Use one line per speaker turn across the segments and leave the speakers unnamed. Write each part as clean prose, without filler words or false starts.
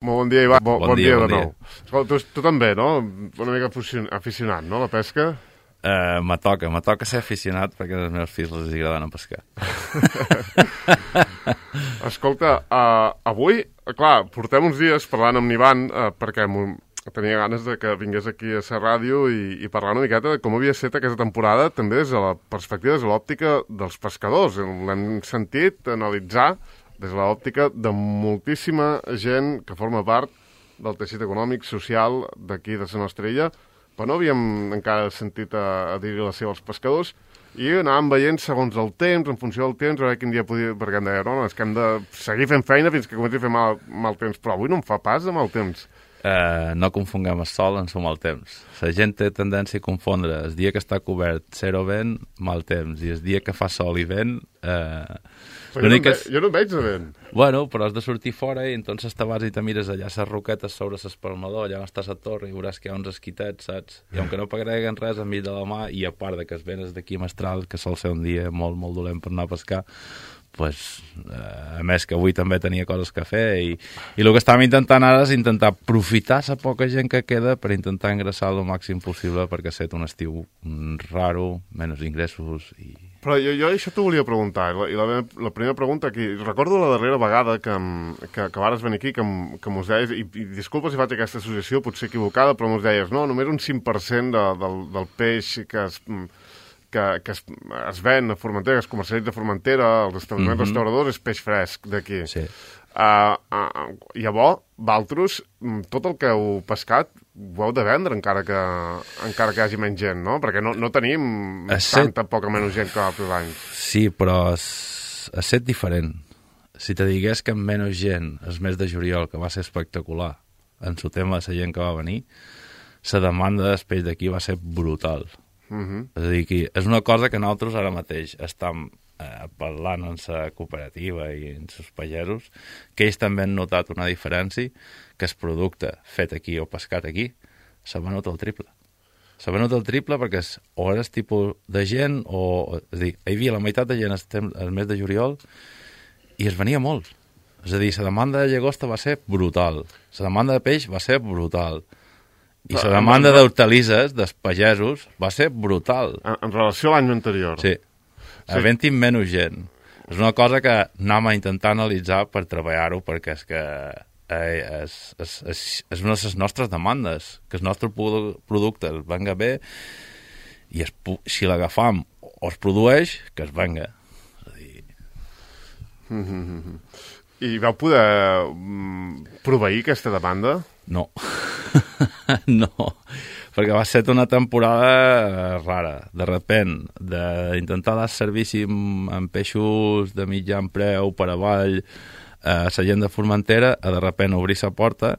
Molt bon dia, Ivan. Bon dia de
bon
nou. Escolta, tu també, no? Una mica aficionat, no, a la pesca?
Me toca ser aficionat perquè als meus fills els agrada anar a pescar.
Escolta, avui, clar, portem uns dies parlant amb l'Ivan perquè tenia ganes de que vingués aquí a la ràdio i parlar una miqueta de com havia estat aquesta temporada, també des de la perspectiva, des de l'òptica dels pescadors. L'hem sentit analitzar des de l'òptica de moltíssima gent que forma part del teixit econòmic, social d'aquí, de la nostra illa, però no havíem encara sentit a dir-hi la seva als pescadors, i anàvem veient segons el temps, en funció del temps, a veure quin dia podia... Perquè em deia, no, és que hem de seguir fent feina fins que comenci a fer mal temps, però avui no em fa pas de mal temps.
No confonguem el sol amb el mal temps. La gent té tendència a confondre el dia que està cobert, zero vent, mal temps, i el dia que fa sol i vent...
Jo no em veig de vent.
Bueno, però has de sortir fora i entonces te vas i te mires allà les roquetes sobre l'espalmador, allà on està la torre, i veuràs que hi ha uns esquitets, saps? I aunque no pagreguen res enmig de la mà, i a part de que es venes d'aquí a Mestral, que sol ser un dia molt, molt dolent per anar a pescar, pues, a més que avui també tenia coses que fer, i el que estàvem intentant ara és intentar aprofitar la poca gent que queda per intentar ingressar el màxim possible perquè set un estiu raro, menys ingressos i...
Però jo això t'ho volia preguntar, i la primera pregunta aquí, recordo la darrera vegada que vares venir aquí, que mos deies, i disculpa si faig aquesta associació, potser equivocada, però mos deies, no, només un 5% del peix que es ven a Formentera, que es comercialitza a Formentera, als establiments restauradors, és peix fresc d'aquí. Sí. Llavors, vosaltres, tot el que heu pescat, ho heu de vendre encara que hi hagi menys gent, no? Perquè no tenim tanta poca menys gent que altres anys.
Sí, però és set diferent. Si te digués que amb menys gent, el mes de juliol, que va ser espectacular, en el tema de la gent que va venir, la demanda del peix d'aquí va ser brutal. És a dir, que és una cosa que nosaltres ara mateix estem parlant en la cooperativa i en els pagesos, que ells també han notat una diferència, que el producte fet aquí o pescat aquí s'ha venut el triple. S'ha venut el triple perquè o era el tipus de gent, és a dir, hi havia la meitat de gent el mes de juliol i es venia molt. És a dir, la demanda de llagosta va ser brutal, la demanda de peix va ser brutal, i la demanda d'hortalisses, dels pagesos, va ser brutal.
En relació a l'any anterior?
Sí. Havent-hi menys gent. És una cosa que anem a intentar analitzar per treballar-ho, perquè és que és una de les nostres demandes, que el nostre producte es venga bé i si l'agafam o es produeix, que es venga. És a dir...
I vau poder proveir aquesta demanda?
No. No. Perquè va ser una temporada rara, de repent, d'intentar dar servici amb peixos de mitjan preu per avall a la gent de Formentera, a de repent obrir la porta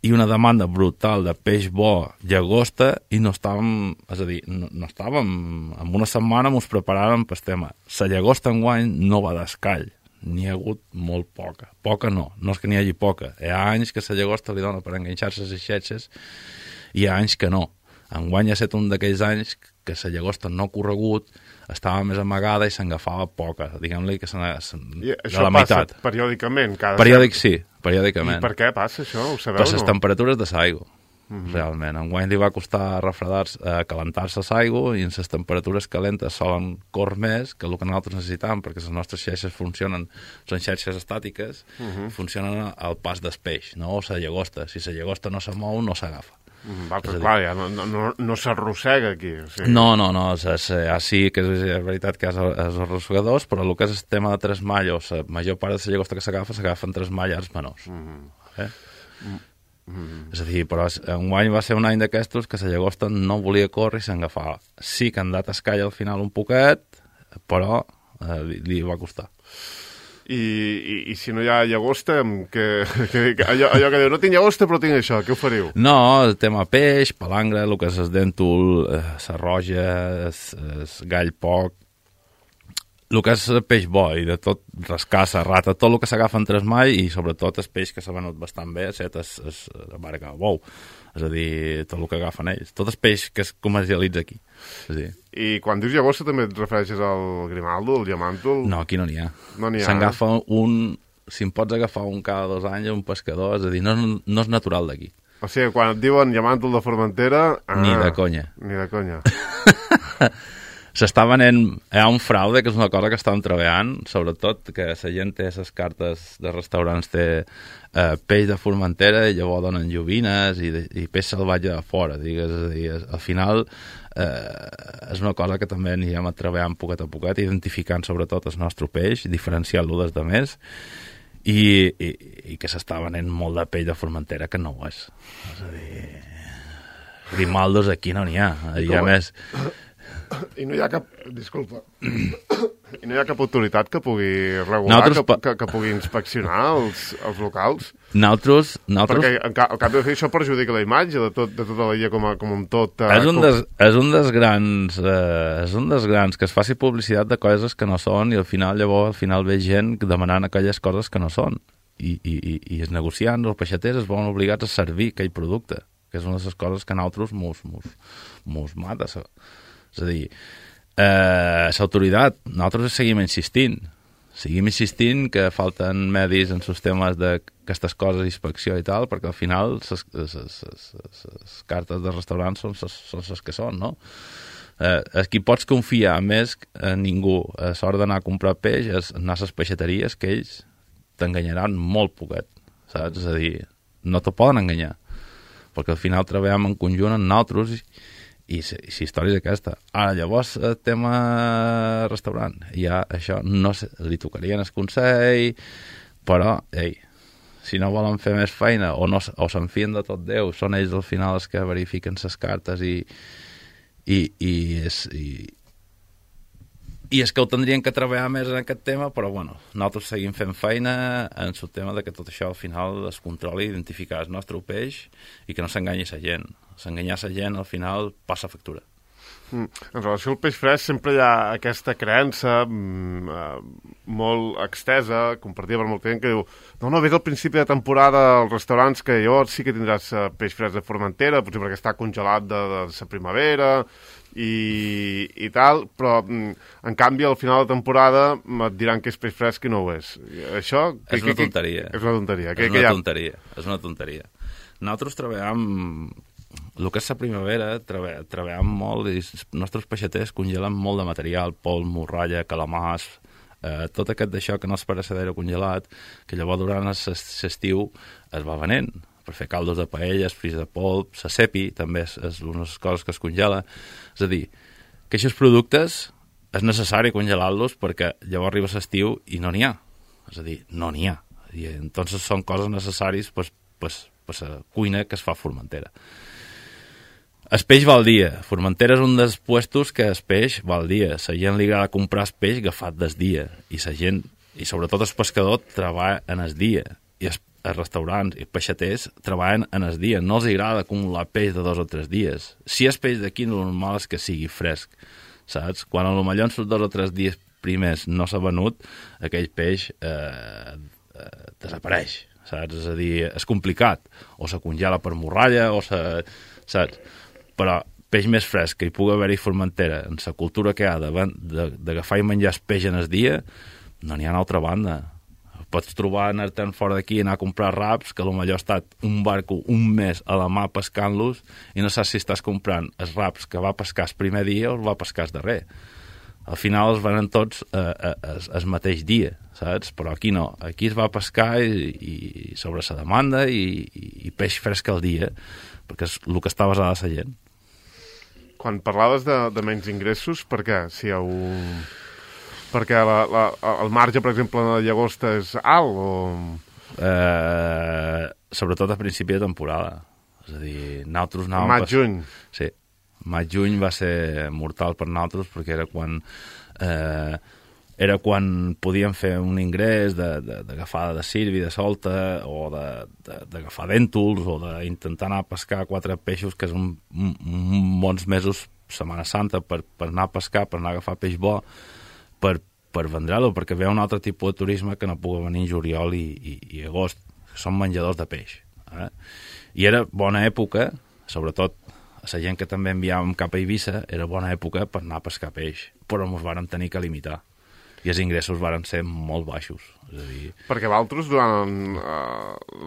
i una demanda brutal de peix bo, llagosta, i no estàvem, és a dir, no estàvem, en una setmana ens preparàvem pel tema. La llagosta enguany no va d'escall, n'hi ha hagut molt poca. Poca no és que n'hi hagi poca. Hi ha anys que la llagosta li dona per enganxar-se les xetxes, i hi ha anys que no. Enguany ha estat un d'aquells anys que la llagosta no ha corregut, estava més amagada i s'agafava poca. Diguem-li que de la meitat.
Això passa periòdicament?
Sí, periòdicament.
I per què passa això? Ho sabeu,
per les temperatures de l'aigua, realment. Enguany li va costar calentar-se l'aigua, i en les temperatures calentes solen córrer més que el que nosaltres necessitam, perquè les nostres xeixes són xeixes estàtiques, funcionen al pas del peix, no? O la llagosta. Si la llagosta no se mou, no s'agafa.
Clar, ja no s'arrossega aquí.
No, sí que és veritat que és els arrossegadors, però el que és el tema de tres malles, la major part de la llagosta que s'agafen tres mallars menors. És a dir, però enguany va ser un any d'aquestos que la llagosta no volia córrer i s'agafava. Sí que han dat escall al final un poquet, però li va costar.
I si no hi ha llagosta, allò que diu, no tinc llagosta però tinc això, què ho fariu?
No, el tema peix, palangre, el que és el dèntol, la roja, el gall poc, el que és el peix bo, i de tot rascar, rata, tot el que s'agafa en tres mall, i sobretot el peix que s'ha venut bastant bé, és la barca de bou. És a dir, tot el que agafen ells. Tot el peix que es comercialitza aquí.
I quan dius llagosta també et refereixes al grimaldo, al diamàntol?
No, aquí no n'hi ha.
No n'hi ha.
S'agafa un si em pots agafar un cada 2 anys, un pescador, és a dir, no és natural d'aquí.
O sigui, quan et diuen llamàntol de Formentera...
Ni de conya.
Ni de conya.
S'està venent... Hi ha un fraude, que és una cosa que estàvem treballant, sobretot que la gent té les cartes de restaurants, té peix de Formentera i llavors donen lluvines i peix salvatge de fora, digues. És a dir, al final és una cosa que també anirem treballant poquet a poquet, identificant sobretot el nostre peix, diferenciant-lo des de més, i que s'està venent molt de pell de Formentera que no ho és. És a dir, Grimaldos aquí no n'hi ha. I a més...
I no hi ha cap... Disculpa. I no hi ha cap autoritat que pugui regular, que pugui inspeccionar els locals?
Nosaltres...
Perquè al cap de fer això perjudica la imatge de tota la illa com un tot...
És un dels grans que es faci publicitat de coses que no són i al final ve gent demanant aquelles coses que no són. I els negociants, els peixaters es veuen obligats a servir aquell producte, que és una de les coses que a nosaltres mos mata. És a dir, l'autoritat, nosaltres seguim insistint que falten medis en sistemes d'aquestes coses, inspecció i tal, perquè al final les cartes de restaurants són les que són, no? Qui pots confiar més a ningú a l'hora d'anar a comprar peix és anar a les peixateries, que ells t'enganyaran molt poquet, saps? És a dir, no t'ho poden enganyar, perquè al final treballem en conjunt amb nosaltres i la història és aquesta. Ara, llavors, el tema restaurant, ja això no sé, li tocaria en el Consell, però, si no volen fer més feina o s'enfien de tot Déu, són ells al final els que verifiquen les cartes i és que ho tindrien que treballar més en aquest tema, però bueno, nosaltres seguim fent feina en el tema de que tot això al final es controli, identificar el nostre peix i que no s'enganyi la gent. S'enganyar la gent al final passa factura.
En relació al peix fresc sempre hi ha aquesta creença molt extesa, compartida per molta gent, que diu no, vés al principi de temporada als restaurants que llavors sí que tindràs peix fresc de Formentera, potser perquè està congelat de la primavera i tal, però en canvi al final de temporada et diran que és peix fresc i no ho és. Això...
És una tonteria.
És una tonteria.
És una tonteria. Nosaltres treballem... El que és la primavera, treballem molt i els nostres peixaters congelen molt de material, pol, morralla, calamars, tot aquest d'això que no és perecedero congelat, que llavors durant l'estiu es va venent per fer caldos de paella, fris de polp, la cepi, també és una de les coses que es congela. És a dir, que aquests productes és necessari congelar-los perquè llavors arriba l'estiu i no n'hi ha. És a dir, no n'hi ha. I entonces són coses necessàries per la cuina que es fa a Formentera. El peix va al dia. Formentera és un dels puestos que el peix va al dia. La gent li agrada comprar el peix agafat del dia. I la gent, i sobretot el pescador, treballa en el dia. I els restaurants i peixaters treballen en el dia. No els agrada acumular peix de 2 o 3 dies. Si és peix d'aquí, el normal és que sigui fresc. Saps? Quan a lo millor en els 2 o 3 dies primers no s'ha venut, aquell peix desapareix. Saps? És a dir, és complicat. O se congela per morralla, saps? Però peix més fresc que hi pugui haver-hi Formentera, en la cultura que hi ha d'agafar i menjar el peix en el dia, no n'hi ha una altra banda. Pots trobar anar-te'n fora d'aquí i anar a comprar raps, que potser ha estat un barco un mes a la mà pescant-los i no saps si estàs comprant els raps que va pescar el primer dia o els va pescar el darrer. Al final els venen tots el mateix dia, saps? Però aquí no. Aquí es va pescar i sobre la demanda i peix fresc al dia, perquè és el que està basada la gent.
Quan parlaves de menys ingressos, per què? Si perquè el marge, per exemple, de llagosta és alt o...
Sobretot a principi de temporada. És a dir, nosaltres anàvem...
Maig-juny.
Sí. Maig-juny va ser mortal per nosaltres perquè era quan podíem fer un ingrés d'agafar de sirvi, de solta, o d'agafar dèntols, o d'intentar anar a pescar 4 peixos, que és bons mesos, Setmana Santa, per anar a pescar, per anar a agafar peix bo, per vendre-lo, perquè ve un altre tipus de turisme que no pugui venir juliol i agost, que són menjadors de peix. I era bona època, sobretot a la gent que també enviàvem cap a Eivissa, era bona època per anar a pescar peix, però ens vàrem tenir que limitar. i els ingressos varen ser molt baixos. És a dir...
Perquè vosaltres, durant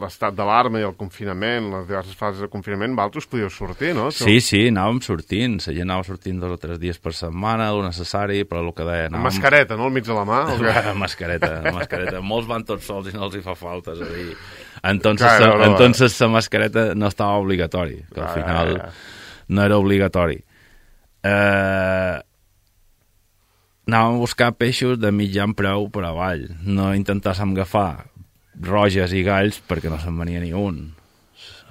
l'estat d'alarma i el confinament, les diverses fases de confinament, vosaltres podíeu sortir, no?
Sí, anàvem sortint. La gent anava sortint 2 o 3 dies per setmana, el necessari, però el que deia...
Amb mascareta, no?, al mig de la mà?
Mascareta. Molts van tots sols i no els hi fa falta, és a dir... Entonces la mascareta no estava obligatori, que al final no era obligatori. Anàvem a buscar peixos de mitjan preu per avall. No intentàssim agafar roges i galls perquè no se'n venia ni un.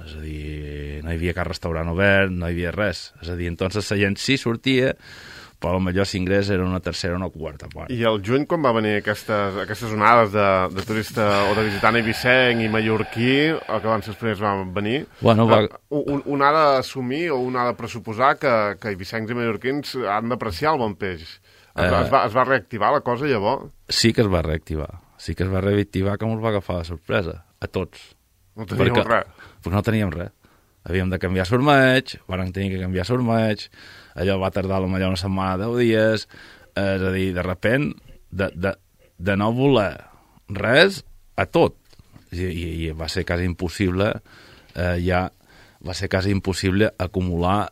És a dir, no hi havia cap restaurant obert, no hi havia res. És a dir, entonces la gent sí sortia, però potser l'ingrés era una tercera o una quarta part.
I al juny, quan va venir aquestes onades de turista o de visitant eivissenc i mallorquí, que van ser els primers van venir, un ha d'assumir o un ha de pressuposar que eivissencs i mallorquins han d'apreciar el bon peix. Es va reactivar la cosa llavors?
Sí que es va reactivar. Sí que es va reactivar, que ens va agafar de sorpresa. A tots.
No teníem res.
Perquè no teníem res. Havíem de canviar sormeig, vam tenir que canviar sormeig, allò va tardar potser una setmana, 10 dies, és a dir, de repent, de no voler res a tot. I va ser quasi impossible, va ser quasi impossible acumular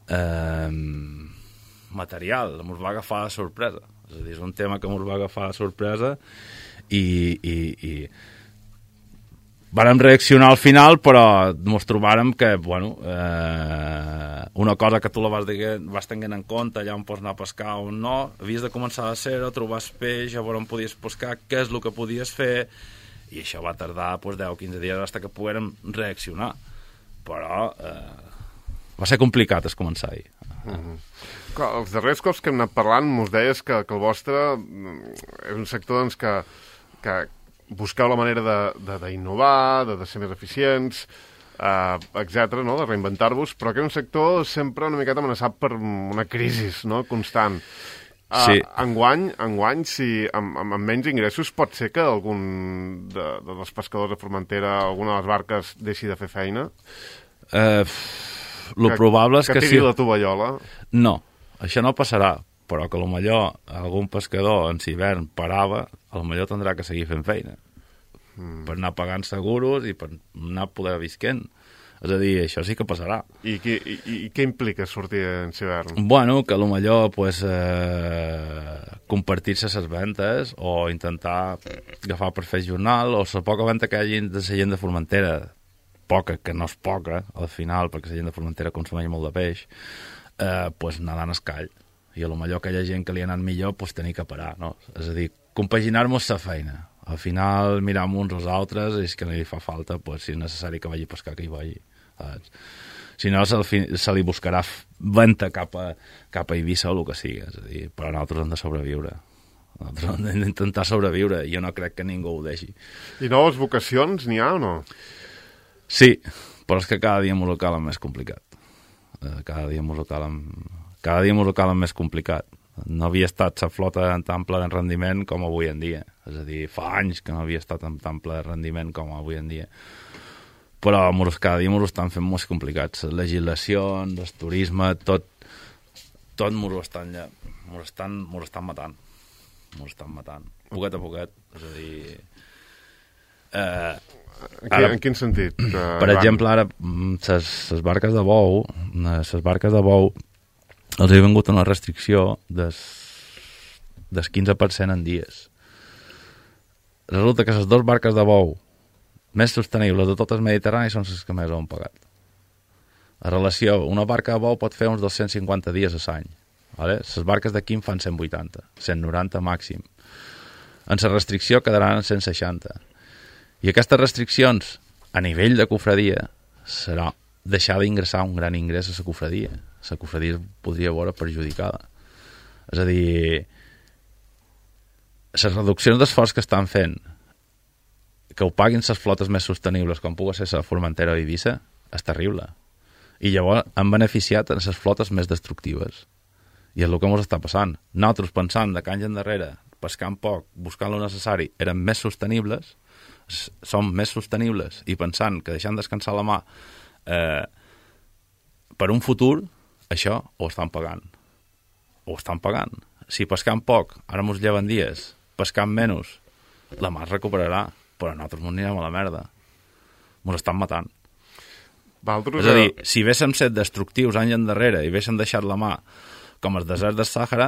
material, ens va agafar de sorpresa. És a dir, és un tema que ens va agafar de sorpresa i vàrem reaccionar al final, però ens trobàrem que, una cosa que tu la vas tenint en compte, allà on pots anar a pescar o no, havies de començar a ser-ho, trobar peix, a veure on podies pescar, què és el que podies fer, i això va tardar 10 o 15 dies fins que poguérem reaccionar. Però va ser complicat començar-hi.
Els darrers cops que hem anat parlant mos deies que el vostre és un sector doncs, que busqueu la manera d'innovar, de ser més eficients, etc., no? De reinventar-vos, però que és un sector sempre una miqueta amenaçat per una crisi, no?, constant.
Sí.
Enguany, si amb menys ingressos, pot ser que algun dels pescadors de Formentera, alguna de les barques, deixi de fer feina?
Lo probable és que
tiri la tovallola?
No, això no passarà, però que potser algun pescador en l'hivern parava, potser tindrà que seguir fent feina per anar pagant seguros i per anar poder visquent. És a dir, això sí que passarà.
I què implica sortir en l'hivern?
Bueno, que potser compartir-se les ventes o intentar agafar per fer jornal, o la poca venda que hi hagi de la gent de Formentera, poca, que no és poca, al final, perquè la gent de Formentera consumeix molt de peix, anar dant escall. I potser aquella gent que li ha anat millor, tenir que parar, no? És a dir, compaginar-nos la feina. Al final, miram uns als altres, i és que no li fa falta, si és necessari que vagi a pescar, que hi vagi. Si no, se li buscarà venta cap a Eivissa o el que sigui. És a dir, però nosaltres hem de sobreviure. Nosaltres hem d'intentar sobreviure, i jo no crec que ningú ho deixi.
I noves vocacions n'hi ha o no?
Sí, però és que cada dia m'ho calen més complicat. Cada dia m'ho calen més complicat. No havia estat la flota en tan ple de rendiment com avui en dia. És a dir, fa anys que no havia estat en tan ple de rendiment com avui en dia. Però cada dia m'ho estan fent molt complicats. Les legislacions, el turisme, tot m'ho estan matant. M'ho estan matant. Poquet a poquet. És a dir...
En quin sentit?
Per exemple, ara, les barques de bou, els ha vingut una restricció del 15% en dies. Resulta que les 2 barques de bou més sostenibles de tot el Mediterrani són les que més ho han pagat. A relació, una barca de bou pot fer uns 250 dies a l'any. Les barques de quim fan 180, 190 màxim. En la restricció quedaran en 160. I aquestes restriccions, a nivell de cofradia, serà deixar d'ingressar un gran ingrés a la cofradia. La cofradia es podria veure perjudicada. És a dir, les reduccions d'esforç que estan fent, que ho paguin les flotes més sostenibles, com pugui ser la Formentera o Eivissa, és terrible. I llavors han beneficiat en les flotes més destructives. I és el que ens està passant. Nosaltres pensant de anys endarrere, pescant poc, buscant lo necessari, eren més sostenibles, som més sostenibles, i pensant que deixant descansar la mà per un futur, això ho estan pagant. Si pescant poc, ara ens lleven dies pescant menys, la mar es recuperarà, però nosaltres ens anirem a la merda. Ens estan matant.
Valtros,
és a dir, si haguéssim set destructius anys endarrere i haguéssim deixat la mà com els deserts del Sàhara,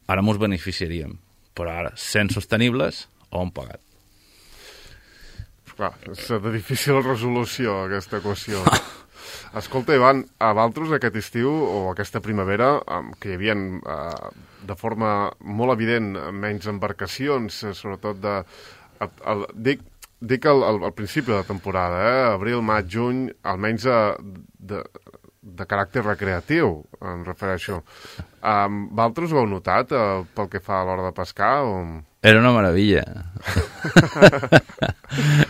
ara ens beneficiaríem. Però ara, sent sostenibles, ho hem pagat.
Clar, és de difícil resolució, aquesta equació. Escolta, Ivan, a Valtros aquest estiu o aquesta primavera, que hi havia de forma molt evident menys embarcacions, sobretot de... Dic al principi de la temporada, abril, maig, juny, almenys de caràcter recreatiu, em refereixo. Valtros ho heu notat pel que fa a l'hora de pescar? O...
Era una meravella.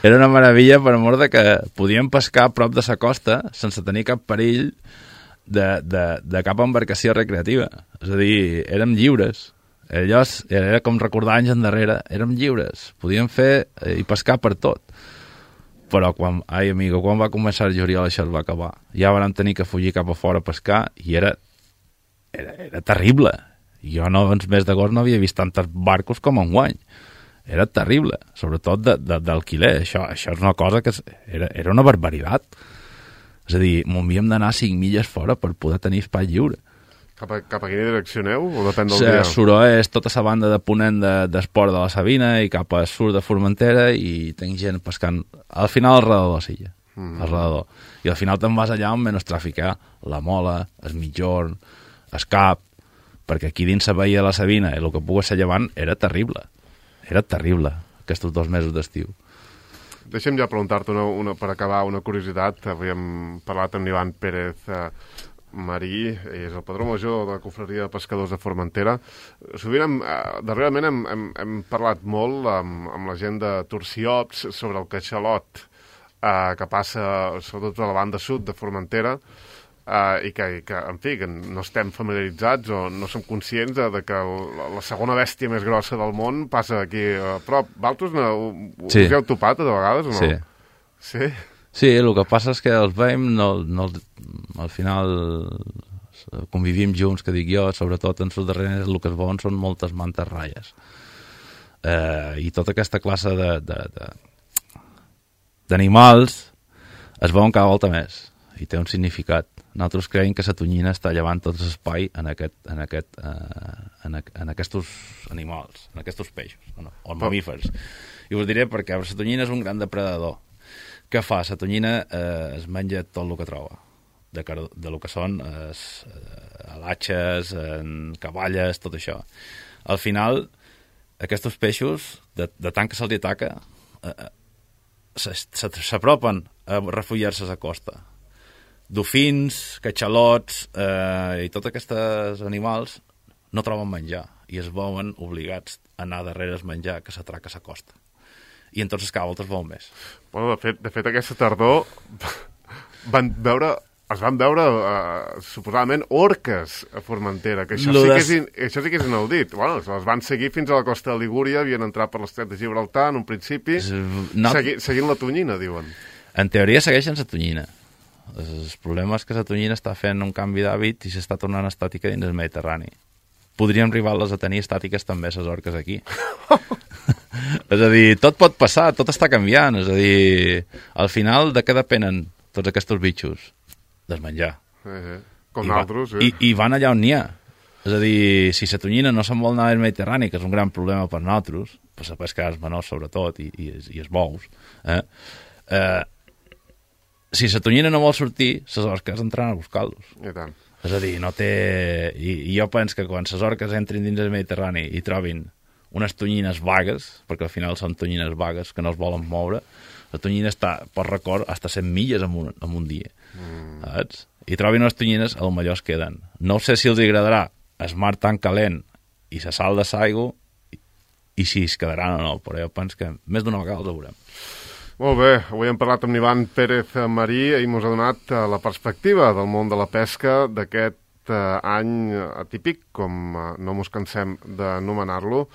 Era una meravella per amor de que podíem pescar a prop de la costa sense tenir cap perill de cap embarcació recreativa. És a dir, érem lliures. Era com recordar anys endarrere, érem lliures. Podíem fer i pescar per tot. Però quan va començar el juliol això es va acabar. Ja vam tenir que fugir cap a fora a pescar i era terrible. Jo en mes d'agost no havia vist tantes barcos com enguany. Era terrible, sobretot d'alquiler. Això és una cosa que era una barbaritat. És a dir, m'havíem d'anar 5 milles fora per poder tenir espai lliure.
Cap a quina direcció aneu? O depèn del dia?
Suró és tota la banda de ponent d'esport de la Sabina i cap a sur de Formentera i tinc gent pescant al final al redador de la silla. Alrededor. I al final te'n vas allà on menys traficar la Mola, el Mitjorn, el Cap, perquè aquí dins la veia de la Sabina i el que pogués ser llevant era terrible. Era terrible, aquests 2 mesos d'estiu.
Deixa'm ja preguntar-te per acabar una curiositat. Havíem parlat amb Ivan Pérez Marí, és el padró major de la confraria de pescadors de Formentera. Sovint, darrerament hem parlat molt amb la gent de Turciops sobre el catxalot que passa sobretot a la banda sud de Formentera, i que, en fi, que no estem familiaritzats o no som conscients de que la segona bèstia més grossa del món passa aquí a prop. Valtros us heu topat de vegades o no? Sí?
Sí, el que passa és que els veiem, al final convivim junts, que dic jo, sobretot en els darrers el que es veuen són moltes mantes ratlles. I tota aquesta classe d'animals es veuen cada volta més i té un significat. Nosaltres creiem que la tonyina està llevant tot l'espai en aquests animals, en aquests peixos, o mamífers. I us diré perquè la tonyina és un gran depredador. Què fa? La tonyina es menja tot el que troba, de lo que són alatxes, cavalles, tot això. Al final, aquests peixos, de tant que se'ls ataca, s'apropen a refugiar-se a la costa. Dofins, catxalots i tots aquests animals no troben menjar i es veuen obligats a anar darrere el menjar que s'atraca a la costa. I entonces cada volta es veu més.
Bueno, de fet aquesta tardor es van veure suposadament orques a Formentera, que això sí que és inaudit. Bueno, les van seguir fins a la costa de Ligúria, havien entrat per l'estret de Gibraltar en un principi, seguint la tonyina, diuen.
En teoria segueixen la tonyina. El problema és que la tonyina està fent un canvi d'hàbit i s'està tornant estàtica dins el Mediterrani. Podríem arribar-les a tenir estàtiques també, les orques aquí. És a dir, tot pot passar, tot està canviant. És a dir, al final, de què depenen tots aquests bitxos? Del menjar.
Com nosaltres, sí.
I van allà on n'hi ha. És a dir, si la tonyina no se'n vol anar al Mediterrani, que és un gran problema per nosaltres, per la pesca dels menors sobretot, i els bous, si la tonyina no vol sortir, les orques entraran a buscar-los.
I tant.
És a dir, no té... I jo penso que quan les orques entrin dins del Mediterrani i trobin unes tonyines vagues, perquè al final són tonyines vagues que no es volen moure, la tonyina està, per record, hasta 100 milles en un dia. Saps? I trobin unes tonyines, al millor es queden. No sé si els agradarà el mar tan calent i la sal de l'aigua i si es quedaran o no, però jo penso que més d'una vegada els veurem.
Molt bé, avui hem parlat amb Ivan Pérez Marí i ens ha donat la perspectiva del món de la pesca d'aquest any atípic, com no ens cansem d'anomenar-lo,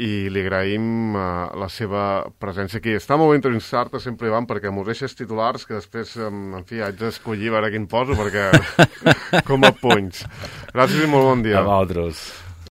i li agraïm la seva presència aquí. Està molt bé entrevistar-te sempre, Ivan, perquè m'ho deixes titulars que després, en fi, haig d'escollir a veure quin poso, perquè com a punys. Gràcies i molt bon dia.
A vosaltres.